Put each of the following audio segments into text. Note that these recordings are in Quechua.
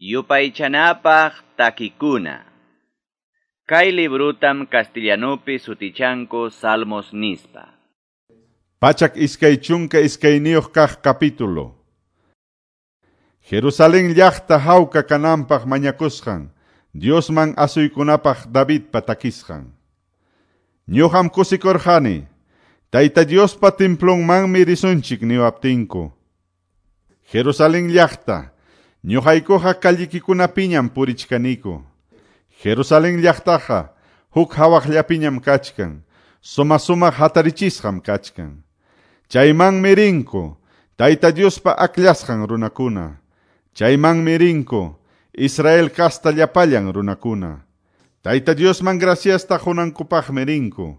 Yupaychanapaq takikuna. Kay librutam castellanupi sutichanku Salmos nispa. 122 kaq capítulo. Jerusalén llaqta hawka kananpaq mañakusqan, Diosman asuykunapaq Davidpa takisqan. Ñuqam kusikurqani, Tayta Diospa templonmanmi risunchik niwaptinku. Jerusalén llaqta, ñuqaykuqa callikikunapiñam purichkaniku. Jerusalén llaqtaqa huk hawaqllapiñam kachkan, suma-sumaq hatarichisqam kachkan. Chaymanmi rinku, Tayta Diospa akllashqan runakuna. Chaymanmi rinku, Israel kasta llapallan runakuna. Tayta Diosman graciasta qunankupaqmi rinku.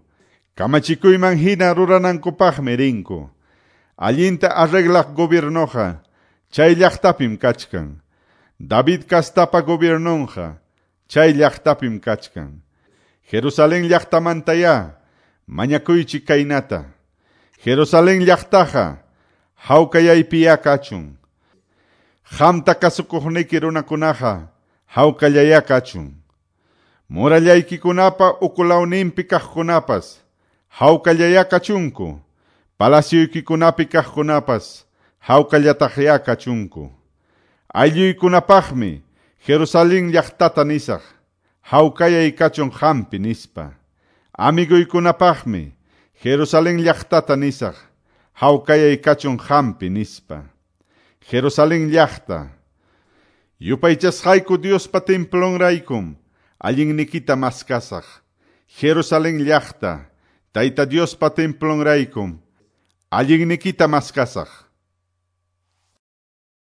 Kamachikuyman hina ruranankupaqmi rinku. Allinta arreglaq gobiernoqa chay llaqtapim kachkan. David kastapa gobiernonqa chay llaqtapim kachkan. Jerusalén llaqtamantaya mañakuychik kaynata. Jerusalén llaqtaqa hawkayaypiya kachun. Qamta kasukuqniki runakunaqa hawkallaya kachun. Murallaykikunapa ukulawninpi kaqkunapas hawkallaya kachunku. Palacioykikunapi kaqkunapas hawkallataqya kachunku. Aylluykunapaqmi Jerusalén llaqtata nisaq, hawkayay kachun qampi nispa. Amiguykunapaqmi Jerusalén llaqtata nisaq, hawkayay kachun qampi nispa. Jerusalén llaqta, yupaychasqayku Diospa templonraykum allinnikita maskasaq. Jerusalén llaqta, Tayta Diospa templonraykum allinnikita maskasaq.